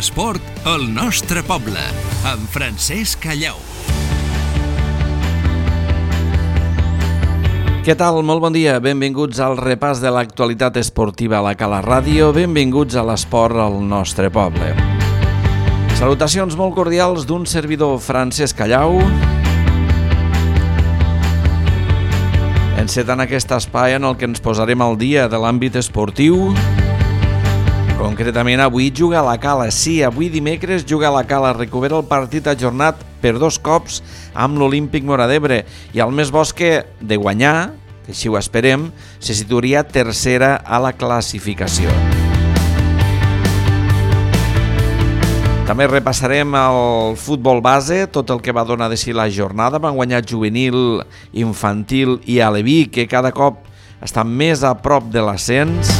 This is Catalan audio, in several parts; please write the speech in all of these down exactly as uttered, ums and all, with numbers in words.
L'esport al nostre poble, amb Francesc Callau. Què tal? Molt bon dia. Benvinguts al repàs de l'actualitat esportiva a la Cala Ràdio. Benvinguts a l'esport al nostre poble. Salutacions molt cordials d'un servidor, Francesc Callau. Encetant aquest espai en el que ens posarem al dia de l'àmbit esportiu. Concretament, avui juga a la Cala. Sí, avui dimecres juga a la Cala. Recupera el partit ajornat per dos cops amb l'Olímpic Móra d'Ebre. I el més bo és que, de guanyar, que així ho esperem, se situaria tercera a la classificació. També repassarem el futbol base, tot el que va donar de si la jornada. Van guanyar juvenil, infantil i aleví, que cada cop estan més a prop de l'ascens.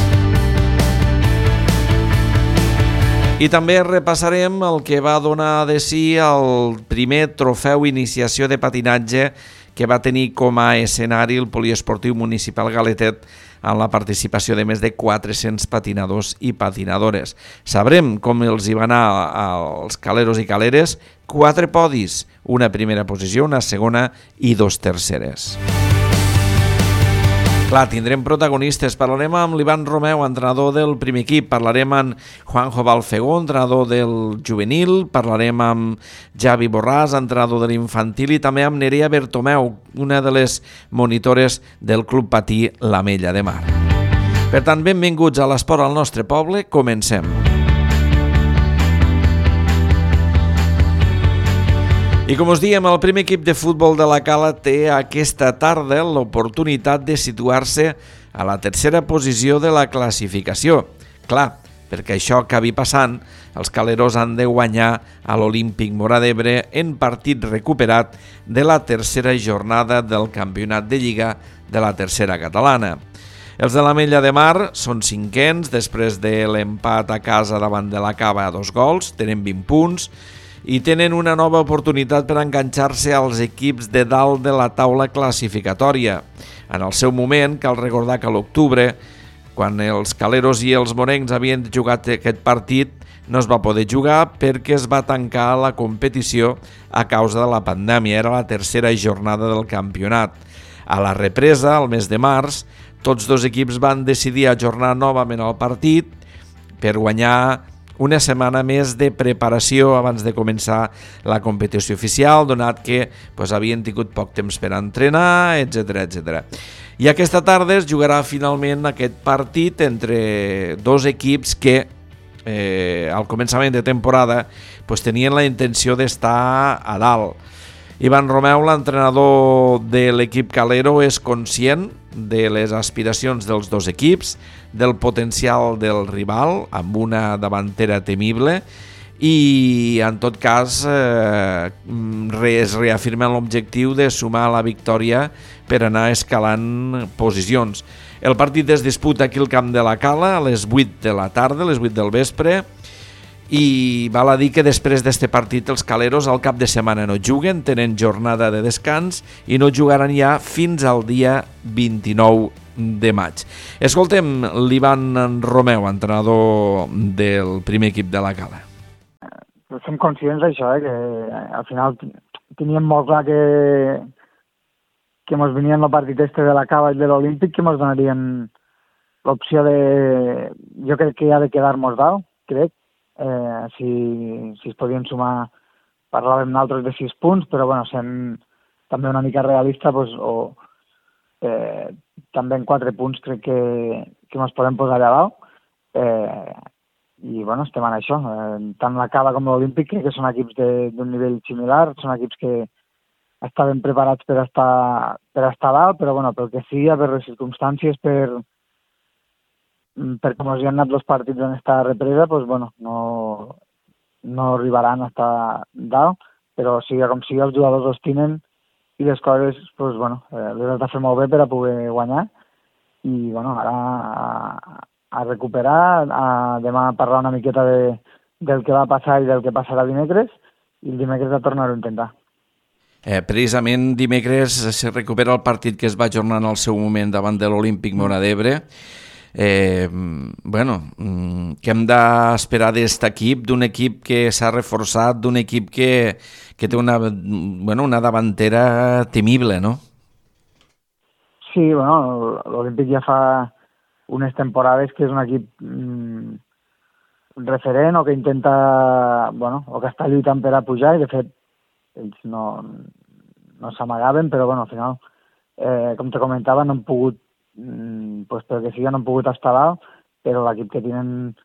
I també repassarem el que va donar de si el primer trofeu iniciació de patinatge que va tenir com a escenari el Poliesportiu Municipal Galetet amb la participació de més de quatre-cents patinadors i patinadores. Sabrem com els hi va anar als caleros i caleres. Quatre podis, una primera posició, una segona i dos terceres. Clar, tindrem protagonistes. Parlarem amb l'Ivan Romeu, entrenador del primer equip. Parlarem amb Juanjo Balfegó, entrenador del juvenil. Parlarem amb Javi Borràs, entrenador de l'infantil. I també amb Nerea Bertomeu, una de les monitores del Club Patí l'Amella de Mar. Per tant, benvinguts a l'esport al nostre poble. Comencem. I com us diem, el primer equip de futbol de la Cala té aquesta tarda l'oportunitat de situar-se a la tercera posició de la classificació. Clar, perquè això acabi passant, els caleros han de guanyar a l'Olímpic Móra d'Ebre en partit recuperat de la tercera jornada del campionat de Lliga de la tercera catalana. Els de l'Amella de Mar són cinquens després de l'empat a casa davant de la Cava a dos gols, tenen vint punts, i tenen una nova oportunitat per enganxar-se als equips de dalt de la taula classificatòria. En el seu moment, cal recordar que a l'octubre, quan els caleros i els morencs havien jugat aquest partit, no es va poder jugar perquè es va tancar la competició a causa de la pandèmia. Era la tercera jornada del campionat. A la represa, al mes de març, tots dos equips van decidir ajornar novament el partit per guanyar una setmana més de preparació abans de començar la competició oficial, donat que pues, havien tingut poc temps per entrenar, etcètera, etcètera. I aquesta tarda es jugarà finalment aquest partit entre dos equips que eh, al començament de temporada pues, tenien la intenció d'estar a dalt. Ivan Romeu, l'entrenador de l'equip calero, és conscient de les aspiracions dels dos equips, del potencial del rival, amb una davantera temible, i en tot cas eh, es reafirma l'objectiu de sumar la victòria per anar escalant posicions. El partit es disputa aquí al camp de la Cala a les vuit de la tarda, a les vuit del vespre, i val a dir que després d'este partit els caleros al cap de setmana no juguen, tenen jornada de descans i no jugaran ja fins al dia vint-i-nou de maig. Escoltem l'Ivan Romeu, entrenador del primer equip de la Cala. Som conscients d'això, eh, que al final teníem molt clar que que mos venien el partit este de la Cava i de l'Olímpic, que mos donarien l'opció de... Jo crec que ha de quedar-nos dalt, crec. Eh, si, si es podien sumar, parlàvem nosaltres de sis punts, però bueno, sent també una mica realista, pues, o eh, també en quatre punts crec que, que ens podem posar allà dalt. Eh, I bueno, estem en això. Eh, tant la Cava com l'Olímpic crec que són equips d'un nivell similar, són equips que estaven preparats per estar, per estar dalt, però bueno, pel que sigui, per les circumstàncies, per per com els hi han anat els partits en esta represa, pues, bueno, no, no arribaran a estar dalt, però sigui com sigui, els jugadors els tenen i les coses pues, bueno, eh, les has de fer molt bé per a poder guanyar. I bueno, ara a, a recuperar, a demà parlar una miqueta de, del que va passar i del que passarà dimecres, i el dimecres a tornar-ho a intentar. Eh, precisament dimecres se recupera el partit que es va ajornar en el seu moment davant de l'Olímpic Móra d'Ebre. Eh, bueno, què hem d'esperar d'aquest equip, d'un equip que s'ha reforçat, d'un equip que, que té una, bueno, una davantera temible, no? Sí, bueno, l'Olímpic ja fa unes temporades que és un equip mm, referent o que intenta, bueno, o que està lluitant per a pujar, i de fet ells no, no s'amagaven, però bueno, al final, eh, com te comentava, no han pogut, mm, pues, pel que sigui, no han pogut estar dalt, però l'equip que tenen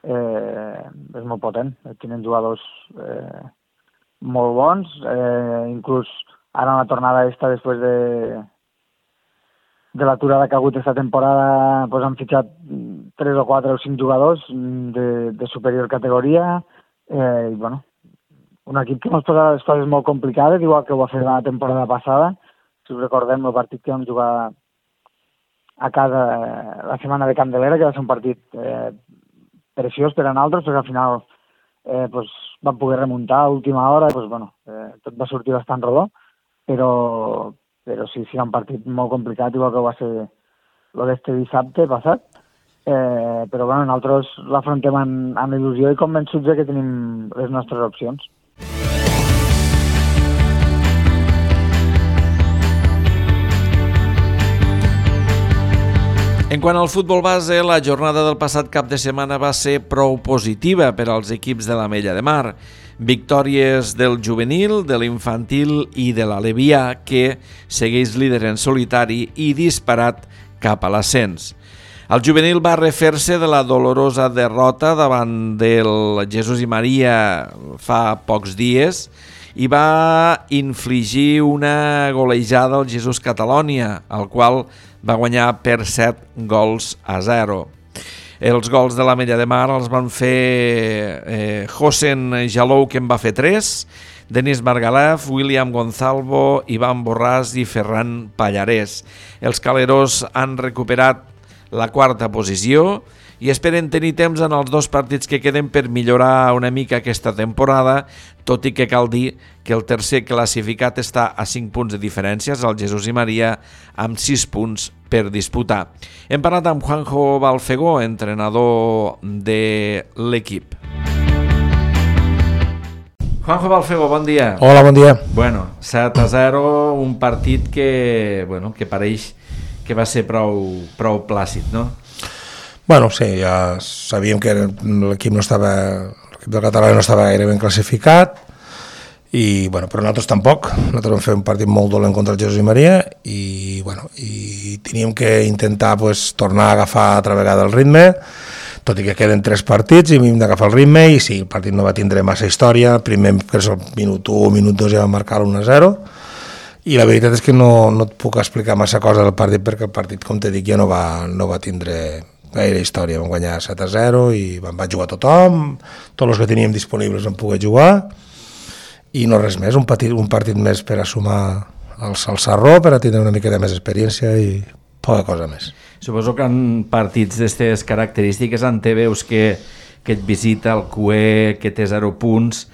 eh, és molt potent, tenen jugadors eh, molt bons, eh, inclús ara en la tornada esta, després de de l'aturada que ha hagut aquesta temporada, pues han fitxat tres o quatre o cinc jugadors de, de superior categoria, eh, i bueno, un equip que ens posa les coses molt complicades, igual que ho va fer la temporada passada. Si us recordem el partit que vam jugar a casa la setmana de Candelera, que va ser un partit eh, preciós per a nosaltres, perquè al final eh, pues, vam poder remuntar a última hora, pues, bueno, eh, tot va sortir bastant rodó, però, però sí, sí, era un partit molt complicat, igual que va ser el d'este dissabte passat, eh, però bueno, nosaltres l'afrontem amb, amb il·lusió i convençuts que tenim les nostres opcions. En quant al futbol base, la jornada del passat cap de setmana va ser prou positiva per als equips de l'Ametlla de Mar. Victòries del juvenil, de l'infantil i de l'Alevià, que segueix líder en solitari i disparat cap a l'ascens. El juvenil va refer-se de la dolorosa derrota davant del Jesús i Maria fa pocs dies i va infligir una golejada al Jesús Catalònia, al qual va guanyar per set gols a zero. Els gols de l'Ametlla de Mar els van fer eh, Josen Jalou, que en va fer tres, Denis Margalef, William Gonzalvo, Ivan Borràs i Ferran Pallarès. Els caleros han recuperat la quarta posició i esperen tenir temps en els dos partits que queden per millorar una mica aquesta temporada, tot i que cal dir que el tercer classificat està a cinc punts de diferències, el Jesús i Maria, amb sis punts per disputar. Hem parlat amb Juanjo Balfegó, entrenador de l'equip. Juanjo Balfegó, bon dia. Hola, bon dia. Bueno, set a zero, un partit que, bueno, que pareix que va ser prou, prou plàcid, no? Bueno, sí, ja sabíem que l'equip no estava, l'equip del català no estava gaire ben classificat, i, bueno, però nosaltres tampoc. Nosaltres vam fer un partit molt dolent contra el Jesús i Maria i, bueno, i teníem que intentar pues, tornar a agafar altra vegada el ritme, tot i que queden tres partits i hem d'agafar el ritme, i sí, el partit no va tindre massa història. El primer, que és el minut u, minut dos, ja va marcar l'u a zero, i la veritat és que no, no et puc explicar massa cosa del partit, perquè el partit, com te dic, ja no va, no va tindre gaire història. Vam guanyar set a zero i vam jugar tothom, tots els que teníem disponibles vam poder jugar, i no res més, un partit, un partit més per a sumar el, el sarró, per a tindre una mica de més experiència i poca cosa més. Suposo que en partits d'aquestes característiques, en te veus que, que et visita el Q E, que té zero punts,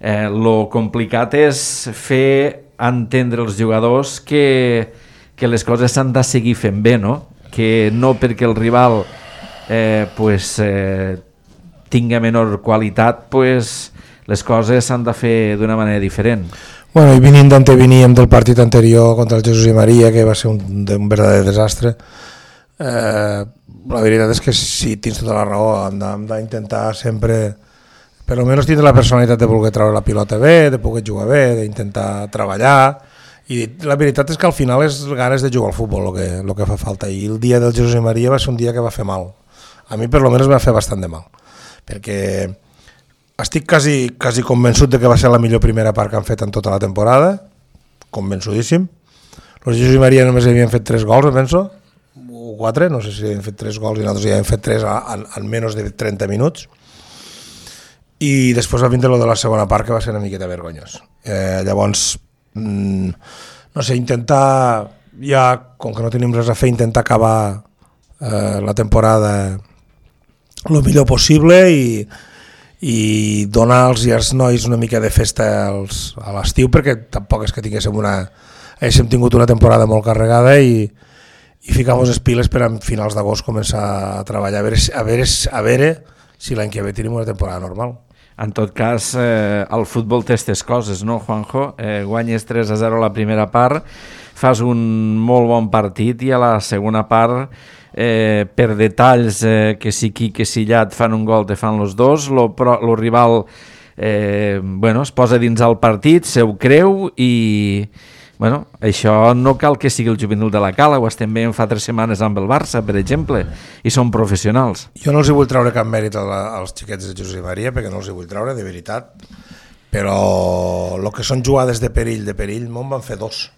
eh, lo complicat és fer entendre als jugadors que, que les coses s'han de seguir fent bé, no? Que no perquè el rival eh, pues, eh, tinga menor qualitat, pues, les coses s'han de fer d'una manera diferent. Bueno, i venint d'on veníem del partit anterior contra el Jesús i Maria, que va ser un, un verdader desastre, eh, la veritat és que sí, tens tota la raó, hem d'intentar sempre, per almenys tindre la personalitat de voler treure la pilota bé, de poder jugar bé, d'intentar treballar, i la veritat és que al final és ganes de jugar al futbol el que, el que fa falta, i el dia del Jesús i Maria va ser un dia que va fer mal. A mi per almenys va fer bastant de mal, perquè estic quasi, quasi convençut de que va ser la millor primera part que han fet en tota la temporada, convençudíssim. Els Jesús i Maria només havien fet tres gols, penso, o quatre, no sé si havien fet tres gols i nosaltres ja hem fet tres en, en menys de trenta minuts. I després va vindre lo de la segona part, que va ser una miqueta vergonyós. Eh, llavors, mmm, no sé, intentar, ja, com que no tenim res a fer, intentar acabar eh, la temporada el millor possible i, i donar als i als nois una mica de festa als, a l'estiu, perquè tampoc és que tinguéssim una, haguéssim tingut una temporada molt carregada i, i ficamos les piles per a finals d'agost començar a treballar, a veure, a veure, a veure si l'any que ve tenim una temporada normal. En tot cas, eh, el futbol té aquestes coses, no, Juanjo? Eh, guanyes tres a zero la primera part, fas un molt bon partit i a la segona part, eh, per detalls eh, que si qui que si allà et fan un gol te fan los dos, lo, pro, lo rival eh, bueno, es posa dins el partit, se ho creu i... Bueno, això no cal que sigui el juvenil de la Cala, ho estem veient fa tres setmanes amb el Barça, per exemple, i són professionals. Jo no els hi vull treure cap mèrit als xiquets de Josep Maria, perquè no els hi vull treure, de veritat, però el que són jugades de perill, de perill, me'n van fer dos,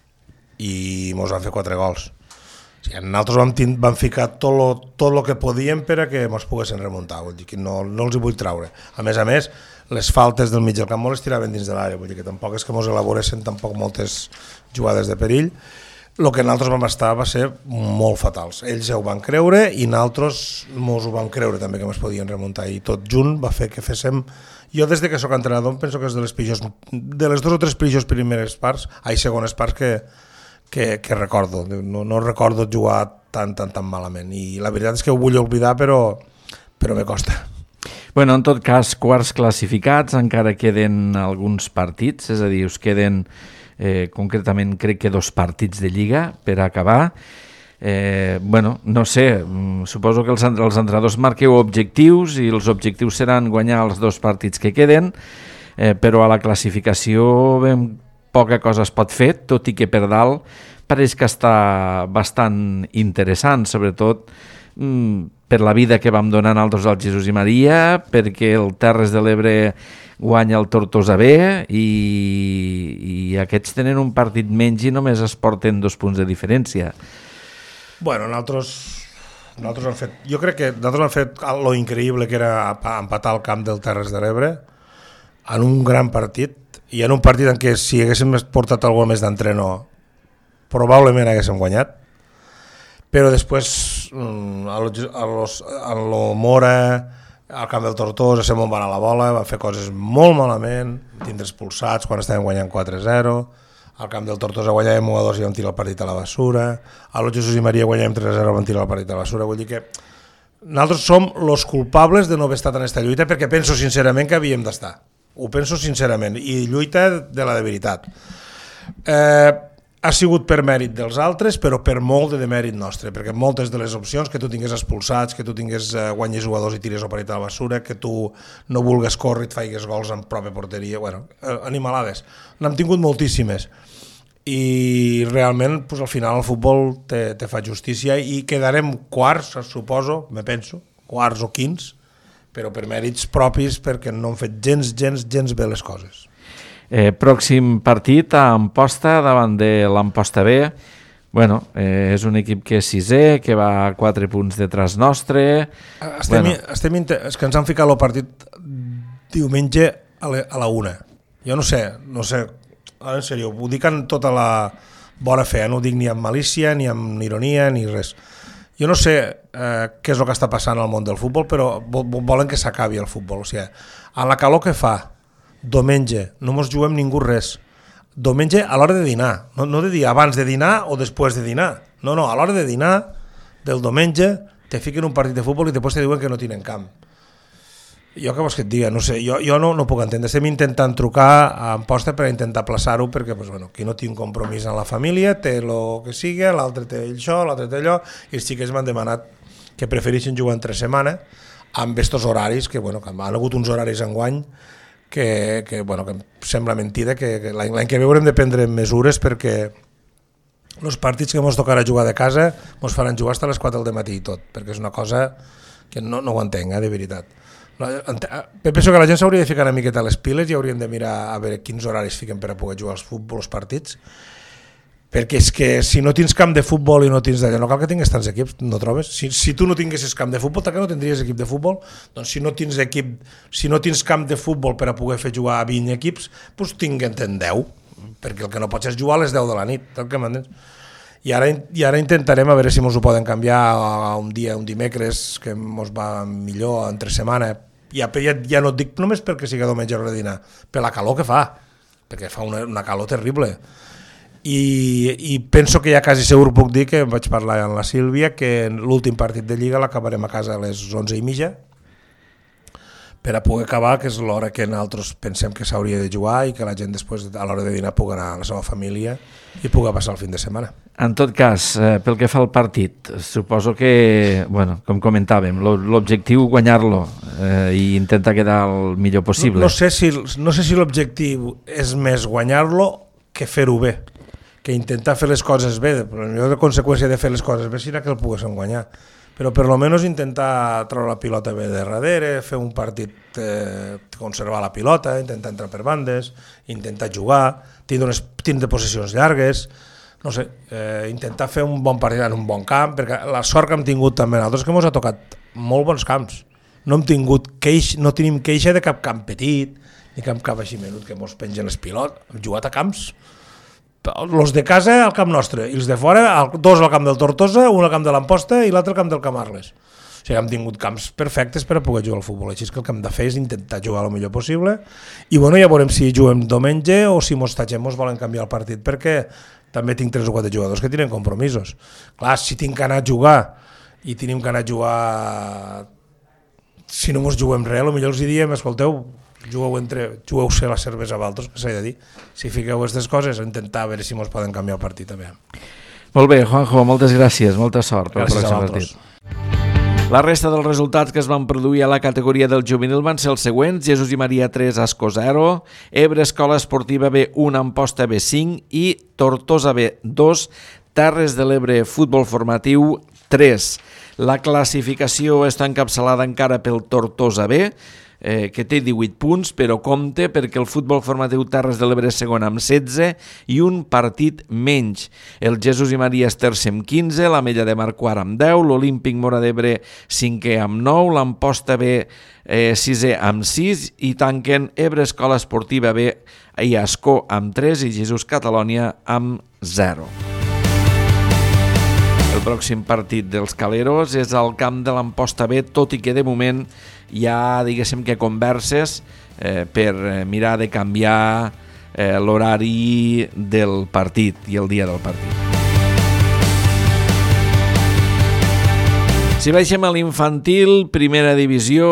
i mos van fer quatre gols. O sigui, nosaltres vam, vam ficar tot lo, tot lo que podíem per a que mos poguessin remuntar, vull dir que no, no els hi vull treure. A més a més, les faltes del mig del camp les tiraven dins de l'àrea, vull dir que tampoc és que mos elaboressin tampoc moltes jugades de perill. El que nosaltres vam estar va ser molt fatals. Ells ja ho van creure i nosaltres mos ho vam creure també que ens podien remuntar, i tot junt va fer que féssim... Jo des de que soc entrenador penso que és de les pitjors, de les dues o tres pitjors primeres parts, ai, segones parts que, que, que recordo. No, no recordo jugar tan, tan, tan malament, i la veritat és que ho vull oblidar, però, però me costa. Bueno, en tot cas, quarts classificats, encara queden alguns partits, és a dir, us queden eh, concretament crec que dos partits de Lliga per acabar. Eh, bueno, no sé, suposo que els, els entrenadors marqueu objectius i els objectius seran guanyar els dos partits que queden, eh, però a la classificació ben poca cosa es pot fer, tot i que per dalt pareix que està bastant interessant, sobretot mm, per la vida que vam donar nosaltres al Jesús i Maria, perquè el Terres de l'Ebre guanya el Tortosa B i, i aquests tenen un partit menys i només es porten dos punts de diferència. Bueno, nosaltres, nosaltres hem fet, jo crec que nosaltres hem fet lo increïble que era empatar el camp del Terres de l'Ebre en un gran partit, i en un partit en què si haguéssim portat alguna més d'entreno probablement haguéssim guanyat, però després a lo, a lo Mora, al camp del Tortosa, se m'on va anar la bola, van fer coses molt malament, tindre expulsats quan estàvem guanyant quatre a zero, al camp del Tortosa guanyàvem u a dos i vam tirar el partit a la bessura, a lo Jesús i Maria guanyàvem tres a zero i vam tirar el partit a la bessura. Vull dir que nosaltres som els culpables de no haver estat en aquesta lluita, perquè penso sincerament que havíem d'estar, ho penso sincerament, i lluita de la de veritat. Eh, ha sigut per mèrit dels altres, però per molt de demèrit nostre, perquè moltes de les opcions, que tu tingués expulsats, que tu tingués eh, guanyes u a dos i tires el partit a la bessura, que tu no vulgues córrer i et faigues gols en pròpia porteria, bueno, eh, animalades. N'hem tingut moltíssimes. I realment, pues, al final el futbol te, te fa justícia i quedarem quarts, suposo, me penso, quarts o quints, però per mèrits propis, perquè no han fet gens, gens, gens bé les coses. Eh, pròxim partit a Amposta davant de l'Amposta B. Bueno, eh, és un equip que és sisè, que va a quatre punts detrás nostre. Estem, bueno. estem inter... És que ens han ficat el partit diumenge a la, a la una. Jo no sé, no sé, ara en sèrio, ho dic en tota la bona fe, no ho dic ni amb malícia, ni amb ironia, ni res. Jo no sé eh, què és el que està passant al món del futbol, però volen que s'acabi el futbol. O sigui, a la calor que fa, diumenge, no mos juguem ningú res. Diumenge a l'hora de dinar, no, no de dir abans de dinar o després de dinar. No, no, a l'hora de dinar del diumenge te fiquen un partit de futbol i després te diuen que no tenen camp. Jo què vols que et diga? No sé, jo, jo no, no puc entendre. Estem intentant trucar a Amposta per intentar plaçar-ho, perquè pues, bueno, qui no té un compromís en la família té el que sigui, l'altre té això, l'altre té allò, i els xiquets m'han demanat que prefereixen jugar entre setmana amb estos horaris, que, bueno, que han hagut uns horaris enguany que, que, bueno, que sembla mentida, que, que l'any, l'any que ve haurem de prendre mesures perquè els partits que ens tocarà jugar de casa ens faran jugar fins a les quatre del matí i tot, perquè és una cosa que no, no ho entenc, eh, de veritat. Penso que la gent s'hauria de ficar una miqueta a les piles i hauríem de mirar a veure quins horaris fiquen per a poder jugar als futbol, als partits, perquè és que si no tens camp de futbol i no tens d'allò, no cal que tinguis tants equips, no trobes? Si, si tu no tinguessis camp de futbol, tant que no tindries equip de futbol, doncs si no tens equip, si no tens camp de futbol per a poder fer jugar a vint equips, doncs tinguen deu, perquè el que no pots és jugar a les deu de la nit, tal que m'entens? I ara, I ara intentarem a veure si ens ho poden canviar a un dia, un dimecres, que ens va millor entre setmana. Ja, ja, ja no et dic només perquè sigui diumenge a l'hora de dinar, per la calor que fa, perquè fa una, una calor terrible. i, i penso que ja quasi segur puc dir que vaig parlar amb la Sílvia que l'últim partit de Lliga l'acabarem a casa a les onze i mitja per a poder acabar, que és l'hora que nosaltres pensem que s'hauria de jugar i que la gent després a l'hora de dinar pugui anar a la seva família i pugui passar el fin de setmana. En tot cas, eh, pel que fa al partit, suposo que, bueno, com comentàvem, l'objectiu guanyar-lo eh, i intentar quedar el millor possible. No, no sé si, no sé si l'objectiu és més guanyar-lo que fer-ho bé, que intentar fer les coses bé, però la millor conseqüència de fer les coses bé serà que el poguéssim guanyar. Però per lo menos intentar treure la pilota bé de darrere, fer un partit, eh, conservar la pilota, intentar entrar per bandes, intentar jugar, tindre, unes, tindre possessions llargues, no sé, eh, intentar fer un bon partit en un bon camp, perquè la sort que hem tingut també nosaltres és que ens ha tocat molt bons camps. No hem tingut queix, no tenim queixa de cap camp petit, ni cap camp així menut que ens pengen les pilotes. Hem jugat a camps, els de casa al camp nostre i els de fora, dos al camp del Tortosa, un al camp de l'Amposta i l'altre al camp del Camarles. O sigui, hem tingut camps perfectes per a poder jugar al futbol, així que el que hem de fer és intentar jugar el millor possible i bueno, ja veurem si juguem diumenge o si mos tatxem mos volen canviar el partit, perquè també tinc tres o quatre jugadors que tenen compromisos. Clar, si tinc que anar a jugar i tenim que anar a jugar, si no mos juguem res, potser els diem, escolteu, jugueu entre, jugueu-se la cervesa a altres, que s'ha de dir. Si fiqueu aquestes coses, intentar a veure si mos poden canviar el partit també. Molt bé, Juanjo, moltes gràcies, molta sort pel Gràcies pròxim partit. La resta dels resultats que es van produir a la categoria del juvenil van ser els següents: Jesús i Maria tres, Ascó zero, Ebre Escola Esportiva B un, Amposta B cinc i Tortosa B dos, Terres de l'Ebre Futbol Formatiu tres. La classificació està encapçalada encara pel Tortosa B, Eh, que té divuit punts, però compte perquè el futbol formatiu Terres de l'Ebre és segon amb setze i un partit menys. El Jesús i Maria és tercer amb quinze, l'Ametlla de Mar quart amb deu, l'Olímpic Móra d'Ebre cinquè amb nou, l'Amposta B eh, sisè amb sis i tanquen Ebre Escola Esportiva B i Ascó amb tres i Jesús Catalònia amb zero. El pròxim partit dels Caleros és al camp de l'Amposta B, tot i que de moment hi ha, diguéssim, que converses eh, per mirar de canviar eh, l'horari del partit i el dia del partit. Si baixem a l'infantil, primera divisió,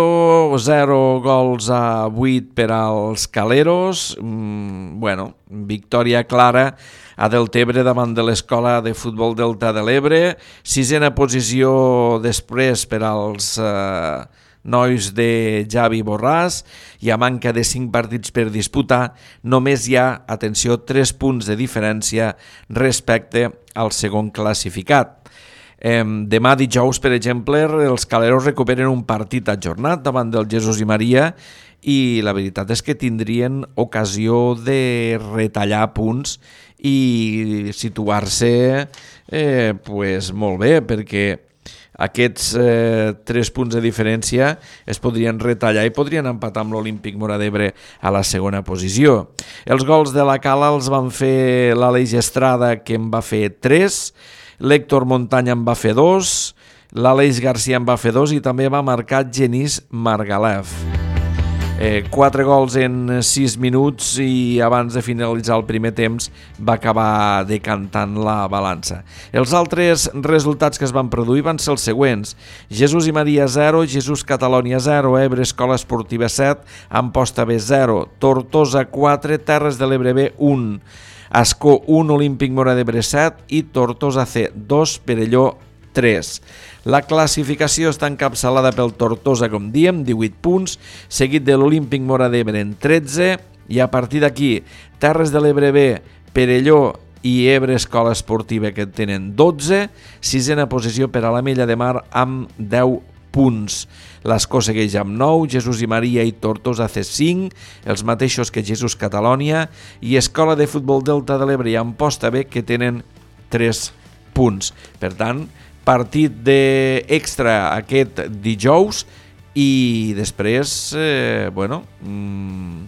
zero gols a vuit per als Caleros. Mm, bueno, victòria clara a Deltebre davant de l'Escola de Futbol Delta de l'Ebre. Sisena posició després per als eh, nois de Javi Borràs i a manca de cinc partits per disputar només hi ha, atenció, tres punts de diferència respecte al segon classificat. Eh, demà dijous, per exemple, els Caleros recuperen un partit ajornat davant del Jesús i Maria i la veritat és que tindrien ocasió de retallar punts i situar-se eh, pues, molt bé, perquè aquests eh, tres punts de diferència es podrien retallar i podrien empatar amb l'Olímpic Móra d'Ebre a la segona posició. Els gols de la Cala els van fer l'Aleix Estrada, que en va fer tres, l'Héctor Montanya en va fer dos, l'Aleix Garcia en va fer dos i també va marcar Genís Margalef. Eh, quatre gols en sis minuts i abans de finalitzar el primer temps va acabar decantant la balança. Els altres resultats que es van produir van ser els següents: Jesús i Maria zero, Jesús Catalònia zero, Ebre Escola Esportiva set, Amposta B zero, Tortosa quatre, Terres de l'Ebre B un, Ascó un, Olímpic Móra d'Ebre set i Tortosa C dos, Perelló tres. La classificació està encapçalada pel Tortosa, com diem, divuit punts, seguit de l'Olímpic Móra d'Ebre en tretze, i a partir d'aquí Terres de l'Ebre B, Perelló i Ebre Escola Esportiva, que tenen dotze, sisena posició per a l'Ametlla de Mar amb deu punts. L'Ascó segueix amb nou, Jesús i Maria i Tortosa C cinc, els mateixos que Jesús Catalònia, i Escola de Futbol Delta de l'Ebre i Amposta B, que tenen tres punts. Per tant, partit d'extra aquest dijous i després eh, bueno, mmm,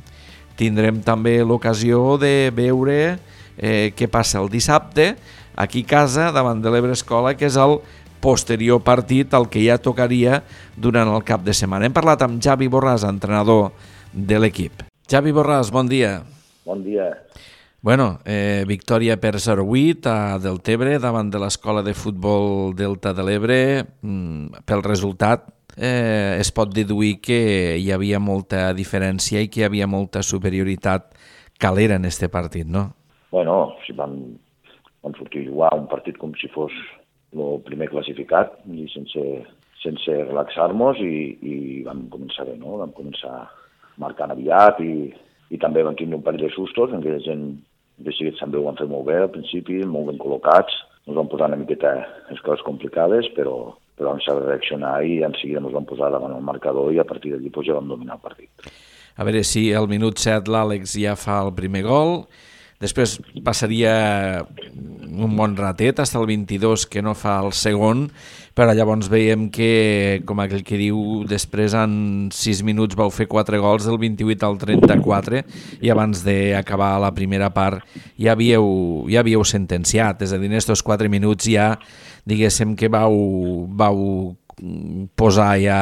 tindrem també l'ocasió de veure eh, què passa el dissabte aquí a casa davant de l'Ebre Escola, que és el posterior partit al que ja tocaria durant el cap de setmana. Hem parlat amb Javi Borràs, entrenador de l'equip. Javi Borràs, bon dia. Bon dia. Bueno, eh, victòria per zero vuit a Deltebre davant de l'Escola de Futbol Delta de l'Ebre. Mm, pel resultat eh, es pot deduir que hi havia molta diferència i que hi havia molta superioritat calera en este partit, no? Bueno, si vam, vam sortir a jugar un partit com si fos el primer classificat i sense, sense relaxar-nos i, i vam començar bé, no? Vam començar marcant aviat i, i també vam tenir un parell de sustos en què la gent de seguit també ho van fer molt bé al principi, molt ben col·locats, ens van posar una miqueta les coses complicades, però, però vam saber reaccionar i en seguida ens vam posar davant el marcador i a partir d'allí pues, ja vam dominar el partit. A veure si al minut set l'Àlex ja fa el primer gol, després passaria un bon ratet fins al vint-i-dos que no fa el segon, però llavors veiem que, com aquell que diu, després en sis minuts vau fer quatre gols del vint-i-vuit al trenta-quatre i abans d'acabar la primera part ja havíeu, ja havíeu sentenciat, és a dir, en aquests quatre minuts ja diguéssim que vau, vau posar ja,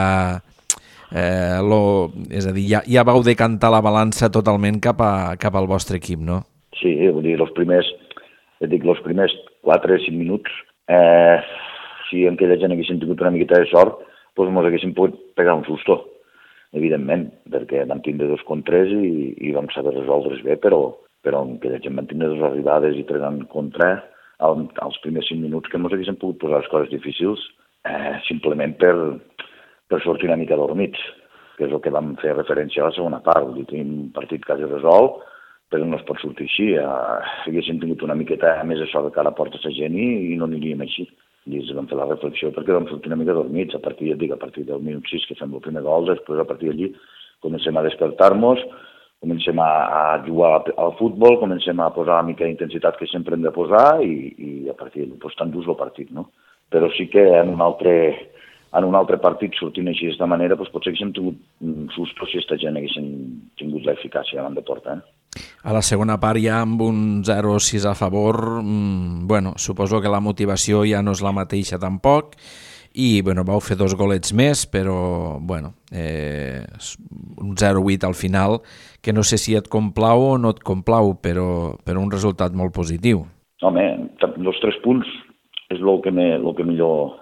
eh, lo, és a dir, ja, ja vau decantar la balança totalment cap, a, cap al vostre equip, no? Sí, vull dir, els primers, et dic, els primers quatre o cinc minuts, eh, si en aquella gent haguessin tingut una miqueta de sort, doncs ens haguessin pogut pegar un susto, evidentment, perquè vam tindre dos contres i, i vam saber resoldre's bé, però, però en aquella gent vam tindre dues arribades i tres en contra al, als primers cinc minuts que ens haguessin pogut posar les coses difícils, eh, simplement per, per sortir una mica dormits, que és el que vam fer referència a la segona part. Vull dir, tenim un partit quasi resolt, però no es pot sortir així. Eh, si haguéssim tingut una miqueta més de sort de cara a porta la gent i, i no aniríem així. I ens vam fer la reflexió perquè vam sortir una mica dormits. A partir, dic, a partir del minut sis que fem el primer gol, després a partir d'allí comencem a despertar-nos, comencem a, a jugar al futbol, comencem a posar una mica d'intensitat que sempre hem de posar i, i a partir d'allí doncs, tan durs el partit, no? Però sí que en un altre, en un altre partit sortint així d'aquesta manera doncs potser haguéssim tingut un susto si aquesta gent haguessin tingut l'eficàcia davant de porta, eh? A la segona part ja amb un zero sis a favor, mmm, bueno, suposo que la motivació ja no és la mateixa tampoc i bueno, vau fer dos golets més, però bueno, eh, un zero vuit al final, que no sé si et complau o no et complau, però, però un resultat molt positiu. Home, els tres punts és el que, me, lo que millor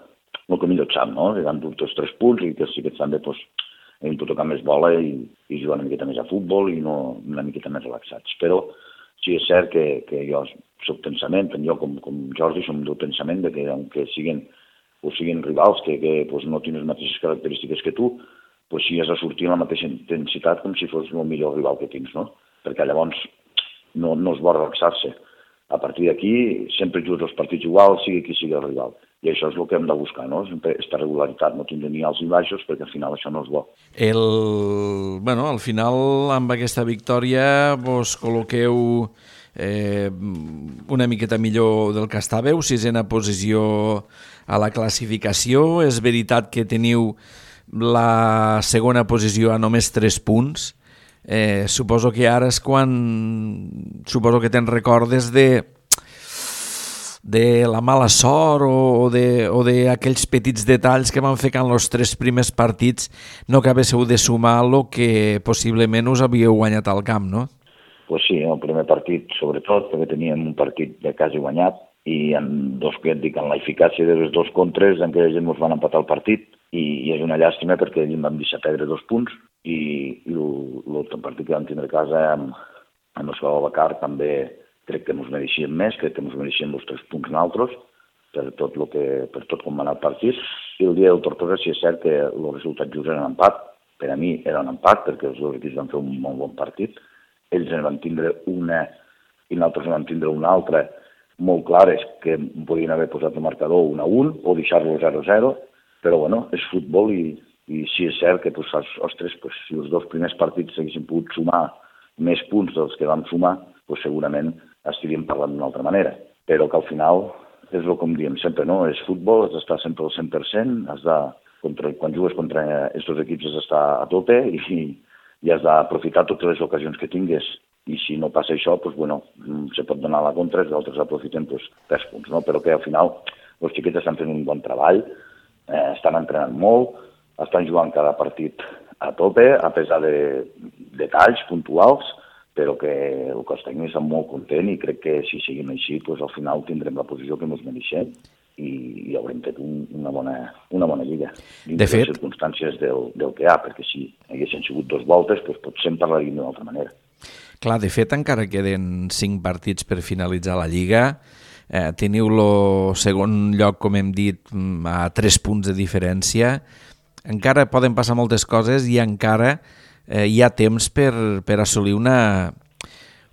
el que millor et sap, no? Que han dut els tres punts i que sí que també doncs, hem de tocar més bola i, i jugar una miqueta més a futbol i no una miqueta més relaxats. Però sí és cert que, que jo soc pensament, tant jo com, com Jordi som del pensament de que aunque siguin, o siguin rivals que, que pues, no tenen les mateixes característiques que tu, pues, sí has de sortir amb la mateixa intensitat com si fos el millor rival que tens, no? Perquè llavors no, no es vol relaxar-se. A partir d'aquí sempre jugues els partits iguals, sigui qui sigui el rival. I això és el que hem de buscar, no? Aquesta regularitat, no tindre ni alts ni baixos, perquè al final això no és bo. El, bueno, al final, amb aquesta victòria, vos col·loqueu eh, una miqueta millor del que estàveu, sisena posició a la classificació. És veritat que teniu la segona posició a només tres punts. Eh, suposo que ara és quan... Suposo que te'n recordes de... de la mala sort o d'aquells petits detalls que van fer que en els tres primers partits no acabéssiu de sumar el que possiblement us havíeu guanyat al camp, no? Pues sí, el primer partit, sobretot, perquè teníem un partit de quasi guanyat i en dos, que et dic, en l'eficàcia de les dos contres, en què la gent ens van empatar el partit i, i és una llàstima perquè allà vam deixar perdre dos punts i, i l'altre partit que vam tindre a casa amb, amb el Salvador Bacar també crec que ens mereixíem més, crec que ens mereixíem els tres punts nosaltres, per tot, lo que, per tot com va anar el partit. I el dia del Tortosa sí és cert que el resultat just era un empat. Per a mi era un empat, perquè els dos equips van fer un molt bon partit. Ells en van tindre una i nosaltres en van tindre una altra molt clares, que podien haver posat el marcador un a un o deixar-lo zero a zero, però bueno, és futbol i, i sí és cert que pues, ostres, pues, si els dos primers partits s'haguessin pogut sumar més punts dels que vam sumar, pues, segurament estaríem parlant d'una altra manera. Però que al final, és el com diem sempre, no? És futbol, has d'estar sempre al cent per cent, has de, contra, quan jugues contra aquests equips has d'estar a tope i, i has d'aprofitar totes les ocasions que tingues. I si no passa això, pues, bueno, se pot donar la contra, els altres aprofiten pues, tres punts, no? Però que al final els xiquets estan fent un bon treball, eh, estan entrenant molt, estan jugant cada partit a tope, a pesar de detalls puntuals, però que el cos tècnic està molt content i crec que si seguim així, doncs al final tindrem la posició que ens mereixem i, i haurem fet un, una, bona, una bona lliga. De fet, les circumstàncies del, del que hi ha, perquè si haguessin sigut dos voltes, doncs potser en parlaríem d'una altra manera. Clar, de fet, encara queden cinc partits per finalitzar la Lliga. Eh, teniu el segon lloc, com hem dit, a tres punts de diferència. Encara poden passar moltes coses i encara eh, hi ha temps per, per assolir una,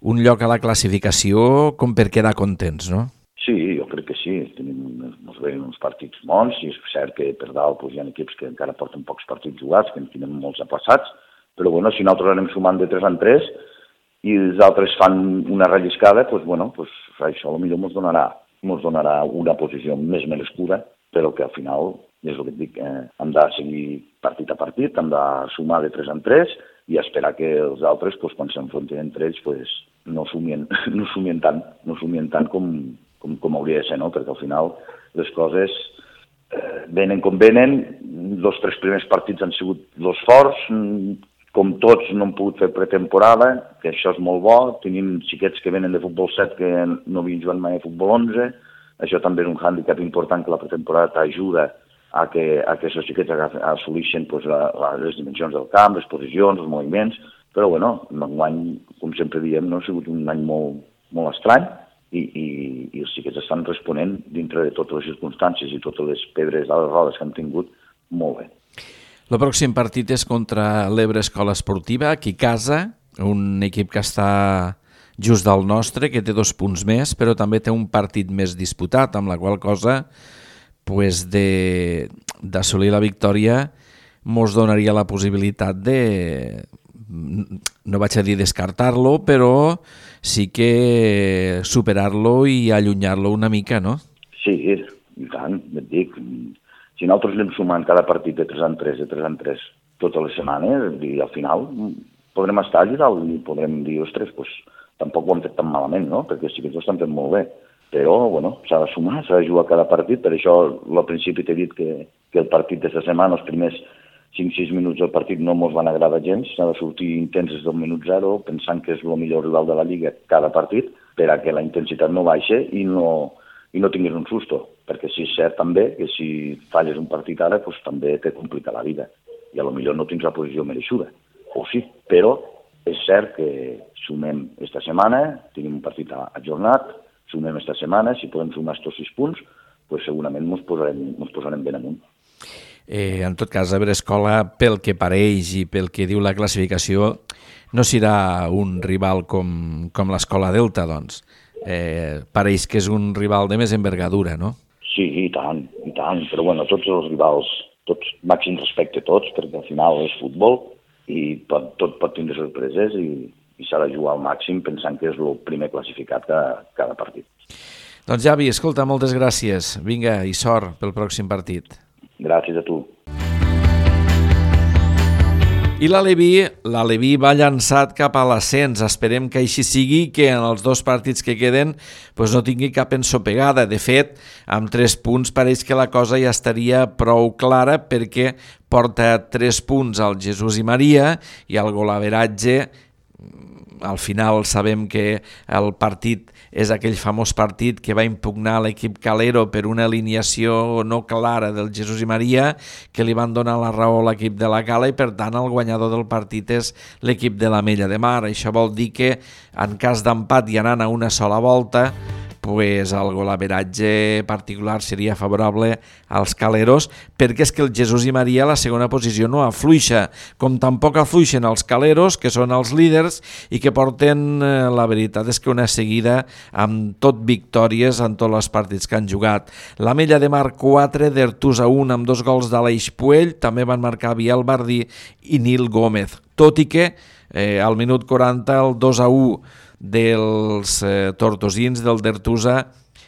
un lloc a la classificació com per quedar contents, no? Sí, jo crec que sí. Tenim uns, uns partits bons i és cert que per dalt doncs, hi ha equips que encara porten pocs partits jugats, que en tenen molts aplaçats, però bueno, si nosaltres anem sumant de tres en tres i els altres fan una relliscada, doncs, bueno, doncs, això potser ens donarà, ens donarà una posició més merescuda, però que al final, és el que et dic, eh, hem de seguir partit a partit, hem de sumar de tres en tres i esperar que els altres, doncs, quan s'enfrontin entre ells, doncs, no sumien, no sumien tant, no sumien tant com, com, com hauria de ser, no? Perquè al final les coses eh, venen com venen, els tres primers partits han sigut els forts, com tots no hem pogut fer pretemporada, que això és molt bo, tenim xiquets que venen de futbol set que no havien jugat mai a futbol onze, això també és un hàndicap important que la pretemporada t'ajuda a que, a que aquests xiquets assoleixen pues, la, la, les dimensions del camp, les posicions, els moviments, però bueno, l'any, com sempre diem, no ha sigut un any molt, molt estrany i, i, i els xiquets estan responent dintre de totes les circumstàncies i totes les pedres a les rodes que han tingut molt bé. El pròxim partit és contra l'Ebre Escola Esportiva, aquí a casa, un equip que està just del nostre, que té dos punts més, però també té un partit més disputat, amb la qual cosa pues, de, d'assolir la victòria mos donaria la possibilitat de, no vaig a dir descartar-lo, però sí que superar-lo i allunyar-lo una mica, no? Sí, i tant, et dic. Si nosaltres anem sumant cada partit de tres en tres, de tres en tres, totes les setmanes, i al final podrem estar allà dalt i podrem dir, ostres, doncs, tampoc ho hem fet tan malament, no? Perquè sí que ho estan fent molt bé. Però, bueno, s'ha de sumar, s'ha de jugar cada partit, per això al principi t'he dit que, que el partit d'aquesta setmana, els primers cinc sis minuts del partit no ens van agradar gens, s'ha de sortir intens des del minut zero, pensant que és el millor rival de la Lliga cada partit, per a que la intensitat no baixa i no, i no tinguis un susto, perquè sí és cert també que si falles un partit ara, doncs també te complica la vida, i a lo millor no tens la posició mereixuda, o sí, però és cert que sumem esta setmana, tenim un partit ajornat, sumem esta setmana, si podem sumar estos sis punts, doncs segurament ens posarem, ens posarem ben amunt. Eh, en tot cas, Ebre Escola, pel que pareix i pel que diu la classificació, no serà un rival com, com l'Escola Delta, doncs. Eh, pareix que és un rival de més envergadura, no? Sí, i tant, i tant, però bueno, tots els rivals, tots, màxim respecte a tots, perquè al final és futbol i pot, tot pot tindre sorpreses i, i s'ha de jugar al màxim pensant que és el primer classificat cada, cada partit. Doncs Javi, escolta, moltes gràcies. Vinga, i sort pel pròxim partit. Gràcies a tu. I l'Aleví, l'Aleví va llançat cap a l'ascens. Esperem que així sigui, que en els dos partits que queden pues no tingui cap ensopegada. De fet, amb tres punts pareix que la cosa ja estaria prou clara perquè porta tres punts al Jesús i Maria i el golaveratge, al final sabem que el partit és aquell famós partit que va impugnar l'equip Calero per una alineació no clara del Jesús i Maria, que li van donar la raó a l'equip de la Cala i per tant el guanyador del partit és l'equip de l'Ametlla de Mar. Això vol dir que en cas d'empat i anant a una sola volta, pues el golaveratge particular seria favorable als caleros, perquè és que el Jesús i Maria a la segona posició no afluixa, com tampoc afluixen els caleros, que són els líders i que porten, la veritat és que una seguida amb tot victòries en tots els partits que han jugat. L'Ametlla de Mar quatre, d'Ertusa un amb dos gols d'Aleix Puell, també van marcar Biel Bardí i Nil Gómez, tot i que eh, al minut quaranta el dos a u dels eh, tortosins del d'Ertusa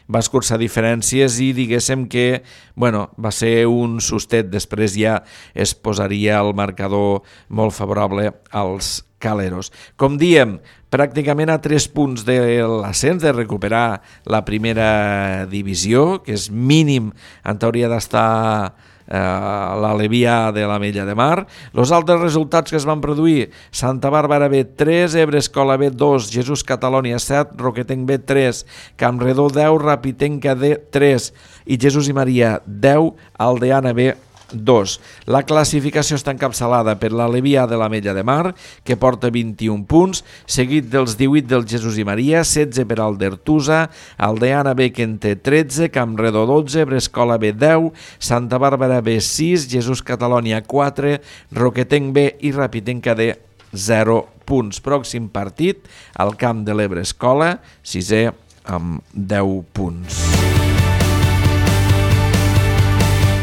va escurçar diferències i diguéssim que bueno, va ser un sustet, després ja es posaria el marcador molt favorable als caleros. Com diem, pràcticament a tres punts de l'ascens, de recuperar la primera divisió, que és mínim, en teoria d'estar l'Aleví A de l'Ametlla de Mar. Els altres resultats que es van produir: Santa Bàrbara B tres, Ebre Escola B dos, Jesús Catalònia set, Roquetenc B tres, Campredó deu, Rapitenca D tres i Jesús i Maria deu, Aldeana B dos. La classificació està encapçalada per l'Aleví A de l'Ametlla de Mar, que porta vint-i-un punts, seguit dels divuit del Jesús i Maria, setze per Aldertusa, Aldeana B, que en té tretze, Campredó dotze, Brescola B deu, Santa Bàrbara B sis, Jesús Catalònia quatre, Roquetenc B i Rapitenca D zero punts. Pròxim partit, al camp de l'Ebre Escola, sisè amb deu punts.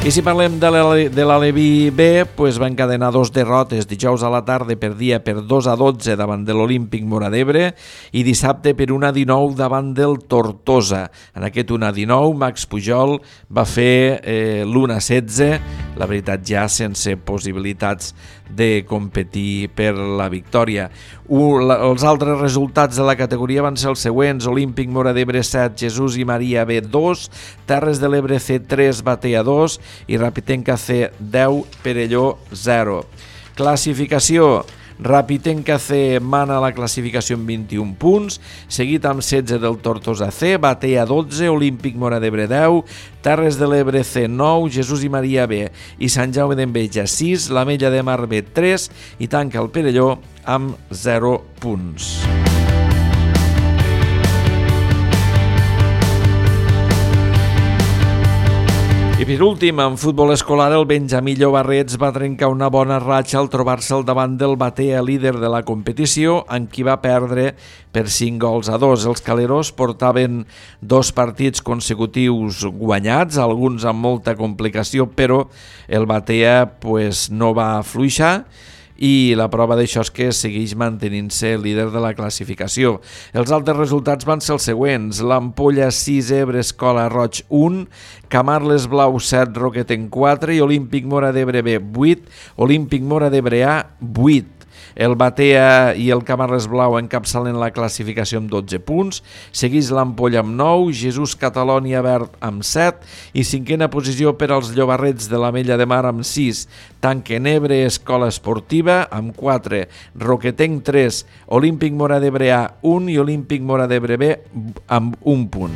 I si parlem de l'Aleví B, pues va encadenar dos derrotes. Dijous a la tarda perdia per dos a dotze davant de l'Olímpic Móra d'Ebre i dissabte per un a dinou davant del Tortosa. En aquest un a dinou, Max Pujol va fer eh, l'u a setze, la veritat ja sense possibilitats de competir per la victòria. U, la, els altres resultats de la categoria van ser els següents: Olímpic Móra d'Ebre set, Jesús i Maria B dos, Terres de l'Ebre C tres, Batea dos i Rapitenca C deu, Perelló zero. Classificació: Rapitenca C mana la classificació amb vint-i-un punts, seguit amb setze del Tortosa C, Batea dotze, Olímpic Móra d'Ebre deu, Terres de l'Ebre C nou, Jesús i Maria B i Sant Jaume d'Enveja sis, l'Ametlla de Mar B tres i tanca el Perelló amb zero punts. I per últim, en futbol escolar, el Benjamí Llobarrets va trencar una bona ratxa al trobar-se al davant del Batea, líder de la competició, amb qui va perdre per cinc gols a dos. Els caleros portaven dos partits consecutius guanyats, alguns amb molta complicació, però el Batea pues, no va afluixar, i la prova d'això és que segueix mantenint-se líder de la classificació. Els altres resultats van ser els següents: l'Ampolla sis, Ebre Escola Roig un, Camarles Blau set, Roquetenc quatre i Olímpic Móra d'Ebre B vuit, Olímpic Móra d'Ebre A vuit. El Batea i el Camarles Blau encapçalen la classificació amb dotze punts, segueix l'Ampolla amb nou, Jesús Catalònia Verd amb set i cinquena posició per als Llobarrets de l'Ametlla de Mar amb sis. Tanquen Ebre Escola Esportiva amb quatre, Roquetenc tres, Olímpic Móra d'Ebre A un i Olímpic Móra d'Ebre B amb un punt.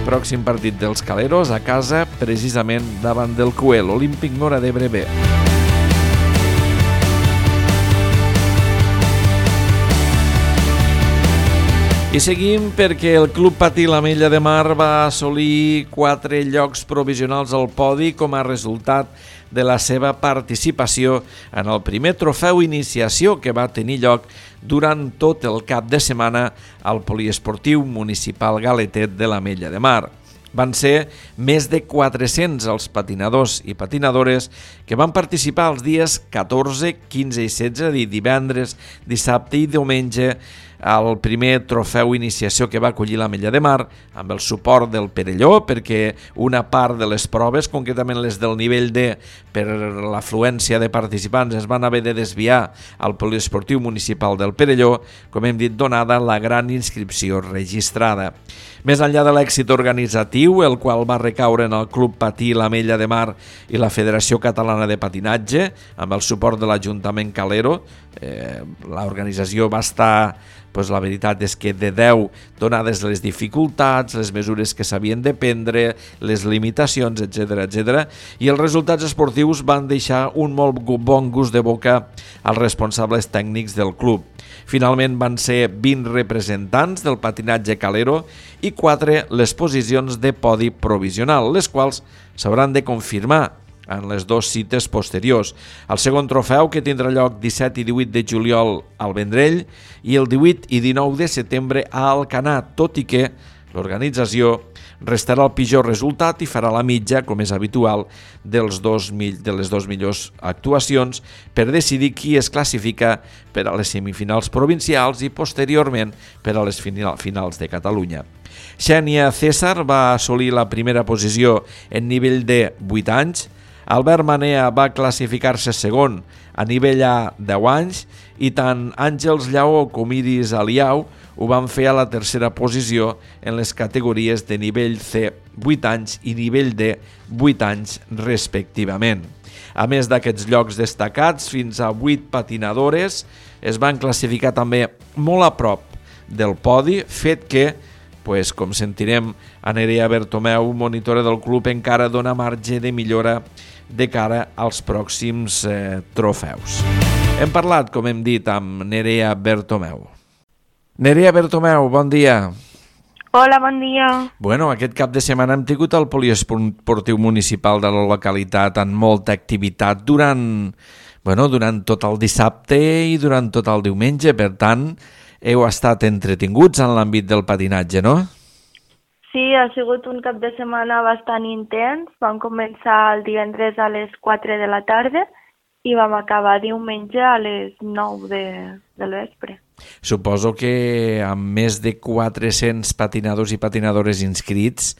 Pròxim partit dels caleros a casa, precisament davant del Cuel, Olímpic Móra d'Ebre B. I seguim perquè el Club Patí l'Ametlla de Mar va assolir quatre llocs provisionals al podi com a resultat de la seva participació en el primer trofeu iniciació que va tenir lloc durant tot el cap de setmana al Poliesportiu Municipal Galetet de l'Ametlla de Mar. Van ser més de quatre-cents els patinadors i patinadores que van participar els dies catorze, quinze i setze, és a dir, divendres, dissabte i diumenge, al primer trofeu iniciació que va acollir l'Ametlla de Mar, amb el suport del Perelló, perquè una part de les proves, concretament les del nivell D, per l'afluència de participants, es van haver de desviar al Poliesportiu Municipal del Perelló, com hem dit, donada la gran inscripció registrada. Més enllà de l'èxit organitzatiu, el qual va recaure en el Club Patí l'Ametlla de Mar i la Federació Catalana de Patinatge, amb el suport de l'Ajuntament Calero, eh, l'organització va estar, pues la veritat és que de deu, donades les dificultats, les mesures que s'havien de prendre, les limitacions, etcètera, etcètera, i els resultats esportius van deixar un molt bon gust de boca als responsables tècnics del club. Finalment van ser vint representants del patinatge calero i quatre les posicions de podi provisional, les quals s'hauran de confirmar en les dues cites posteriors. El segon trofeu, que tindrà lloc disset i divuit de juliol al Vendrell i el divuit i dinou de setembre a Alcanar, tot i que l'organització restarà el pitjor resultat i farà la mitja, com és habitual, dels dos, de les dues millors actuacions per decidir qui es classifica per a les semifinals provincials i posteriorment per a les finals de Catalunya. Xènia César va assolir la primera posició en nivell de vuit anys, Albert Manea va classificar-se segon a nivell A deu anys i tant Àngels Lleó com Iris Aliau ho van fer a la tercera posició en les categories de nivell C vuit anys i nivell D vuit anys respectivament. A més d'aquests llocs destacats, fins a vuit patinadores es van classificar també molt a prop del podi, fet que, pues, com sentirem, a Nerea Bertomeu, monitora del club, encara dona marge de millora de cara als pròxims eh, trofeus. Hem parlat, com hem dit, amb Nerea Bertomeu. Nerea Bertomeu, bon dia. Hola, bon dia. Bueno, aquest cap de setmana hem tingut el poliesportiu municipal de la localitat amb molta activitat durant, bueno, durant tot el dissabte i durant tot el diumenge. Per tant, heu estat entretinguts en l'àmbit del patinatge, no? Sí, ha sigut un cap de setmana bastant intens. Vam començar el divendres a les quatre de la tarda i vam acabar diumenge a les nou de, del vespre. Suposo que amb més de quatre-cents patinadors i patinadores inscrits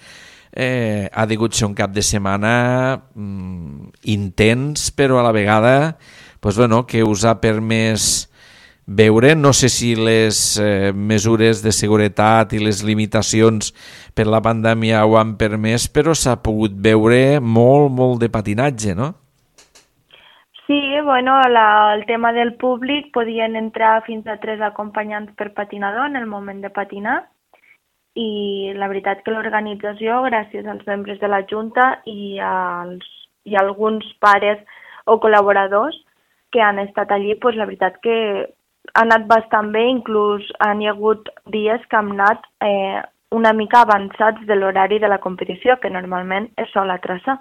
eh, ha degut ser un cap de setmana mm, intens, però a la vegada pues, bueno, que us ha permès veure, no sé si les eh, mesures de seguretat i les limitacions per la pandèmia ho han permès, però s'ha pogut veure molt, molt de patinatge, no? Sí, bueno, la, el tema del públic, podien entrar fins a tres acompanyants per patinador en el moment de patinar i la veritat que l'organització, gràcies als membres de la Junta i, als, i a alguns pares o col·laboradors que han estat allí, pues, la veritat que ha anat bastant bé, inclús han hi ha hagut dies que hem anat eh, una mica avançats de l'horari de la competició, que normalment es sol traçar.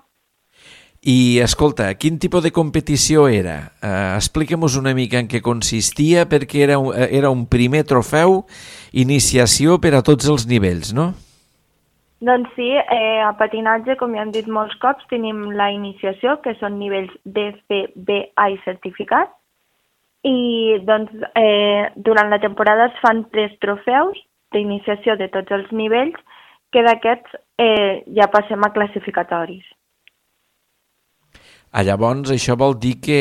I, escolta, quin tipus de competició era? Uh, Expliquem-nos una mica en què consistia, perquè era un, era un primer trofeu, iniciació per a tots els nivells, no? Doncs sí, eh, a patinatge, com ja hem dit molts cops, tenim la iniciació, que són nivells D, C, B, A i certificat, i doncs eh, durant la temporada es fan tres trofeus d'iniciació de tots els nivells, que d'aquests eh, ja passem a classificatoris. Ah, llavors, això vol dir que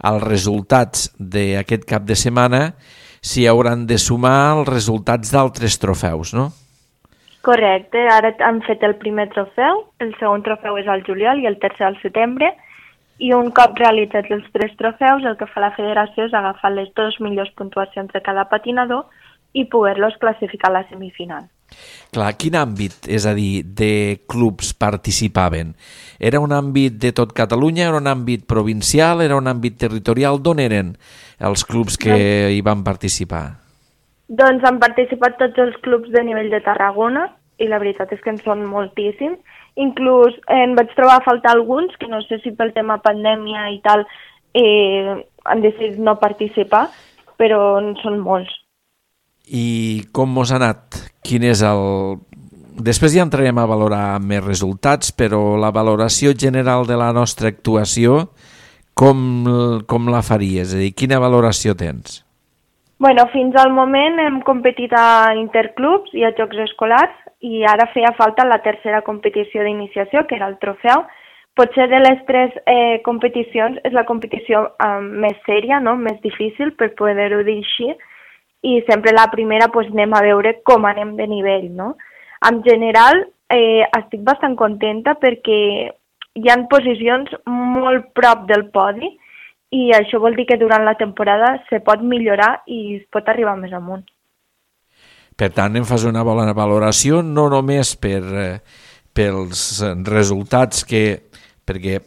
els resultats d'aquest cap de setmana s'hi hauran de sumar els resultats d'altres trofeus, no? Correcte, ara han fet el primer trofeu, el segon trofeu és al juliol i el tercer al setembre, i un cop realitzats els tres trofeus, el que fa la federació és agafar les dues millors puntuacions de cada patinador i poder-los classificar a la semifinal. Clar, quin àmbit, és a dir, de clubs participaven? Era un àmbit de tot Catalunya, era un àmbit provincial, era un àmbit territorial? D'on eren els clubs que hi van participar? Doncs han participat tots els clubs de nivell de Tarragona i la veritat és que en són moltíssims. Inclús eh, en vaig trobar a faltar alguns que no sé si pel tema pandèmia i tal eh, han decidit no participar, però en són molts. I com mos ha anat? Quin és el... Després ja entrarem a valorar més resultats, però la valoració general de la nostra actuació, com, com la faries? És a dir, quina valoració tens? Bueno, fins al moment hem competit a interclubs i a jocs escolars i ara feia falta la tercera competició d'iniciació, que era el trofeu. Potser de les tres eh, competicions és la competició eh, més sèria, no? Més difícil per poder-ho dir així, i sempre la primera pues, anem a veure com anem de nivell, no? En general, eh, estic bastant contenta perquè hi ha posicions molt prop del podi i això vol dir que durant la temporada se pot millorar i es pot arribar més amunt. Per tant, em fas una bona valoració, no només per, eh, pels resultats que... perquè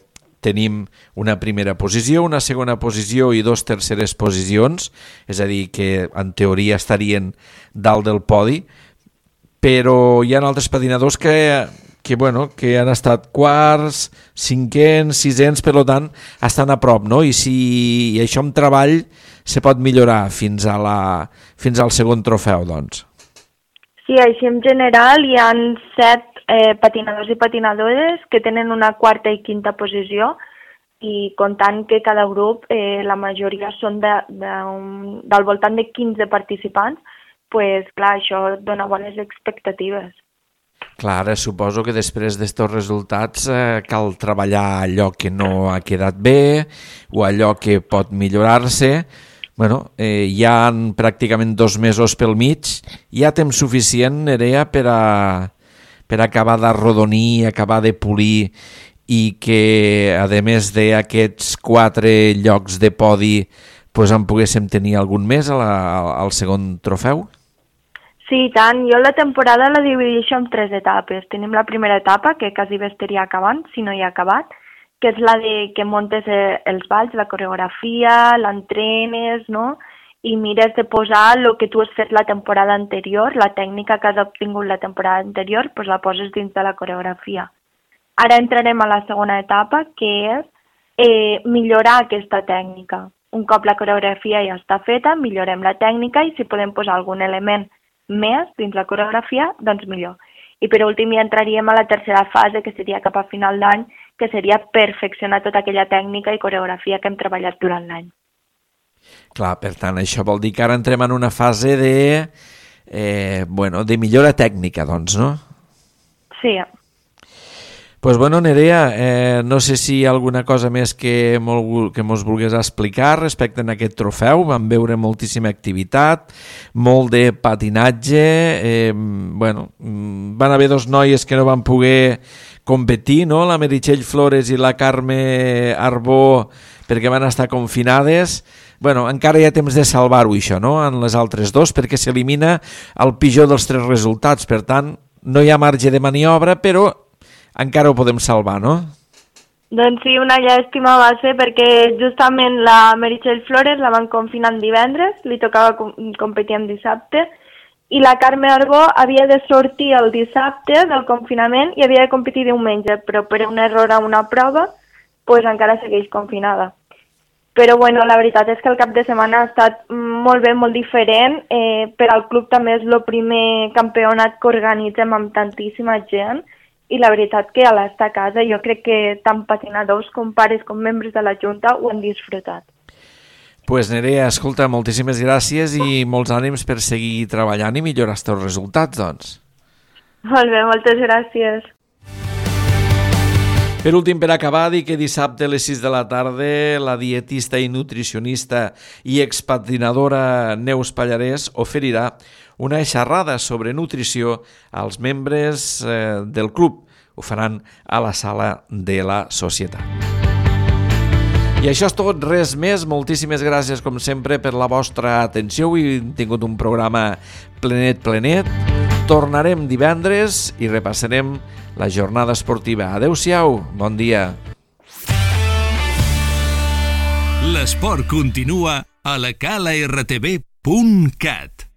tenim una primera posició, una segona posició i dos terceres posicions, és a dir, que en teoria estarien dalt del podi, però hi ha altres patinadors que, que, bueno, que han estat quarts, cinquens, sisens, per tant, estan a prop, no? I si i això amb treball se pot millorar fins, a la, fins al segon trofeu, doncs. Sí, així en general hi ha set eh, patinadors i patinadores que tenen una quarta i quinta posició i comptant que cada grup, eh, la majoria són de, de un, del voltant de quinze participants, pues, clar, això dona bones expectatives. Clar, ara suposo que després d'estos resultats eh, cal treballar allò que no ha quedat bé o allò que pot millorar-se. Bueno, eh, hi ha pràcticament dos mesos pel mig, hi ha temps suficient, Nerea, per a, per acabar d'arrodonir, acabar de polir i que, a més d'aquests quatre llocs de podi, pues, en poguéssim tenir algun més a la, al segon trofeu? Sí, tant. Jo la temporada la divideixo en tres etapes. Tenim la primera etapa, que quasi bé estaria acabant, si no hi ha acabat, que és la de que montes els balls, la coreografia, l'entrenes, no? I mires de posar el que tu has fet la temporada anterior, la tècnica que has obtingut la temporada anterior, pues la poses dins de la coreografia. Ara entrarem a la segona etapa, que és eh, millorar aquesta tècnica. Un cop la coreografia ja està feta, millorem la tècnica i si podem posar algun element més dins la coreografia, doncs millor. I per últim ja entraríem a la tercera fase, que seria cap a final d'any, que seria perfeccionar tota aquella tècnica i coreografia que hem treballat durant l'any. Clar, per tant, això vol dir que ara entrem en una fase de, eh, bueno, de millora tècnica, doncs, no? Sí. Pues bueno, Nerea, eh, no sé si hi ha alguna cosa més que, molt, que mos vulgués explicar respecte a aquest trofeu. Vam veure moltíssima activitat, molt de patinatge, eh, bueno, van haver dos noies que no van poder competir, no? La Meritxell Flores i la Carme Arbó, perquè van estar confinades. Bueno, encara hi ha temps de salvar-ho, això, no?, en les altres dos, perquè s'elimina el pitjor dels tres resultats. Per tant, no hi ha marge de maniobra, però encara ho podem salvar, no? Doncs sí, una llàstima va ser perquè justament la Meritxell Flores la van confinar en divendres, li tocava com competir en dissabte, i la Carme Arbó havia de sortir el dissabte del confinament i havia de competir diumenge, però per un error a una prova, pues encara segueix confinada. Però bueno, la veritat és que el cap de setmana ha estat molt bé, molt diferent. Eh, per al club també és el primer campionat que organitzem amb tantíssima gent, i la veritat que a l'estar a casa jo crec que tant patinadors com pares com membres de la Junta ho han disfrutat. Pues Nerea, escolta, moltíssimes gràcies i molts ànims per seguir treballant i millorar els teus resultats, doncs. Molt bé, moltes gràcies. Per últim, per acabar, dir que dissabte a les sis de la tarda la dietista i nutricionista i expatinadora Neus Pallarès oferirà una xerrada sobre nutrició als membres eh, del club. Ho faran a la sala de la Societat. I això és tot, res més. Moltíssimes gràcies, com sempre, per la vostra atenció. Avui hem tingut un programa plenet, plenet. Tornarem divendres i repassarem la jornada esportiva. Adéu-siau, bon dia. L'esport continua a la cala r t v punt cat.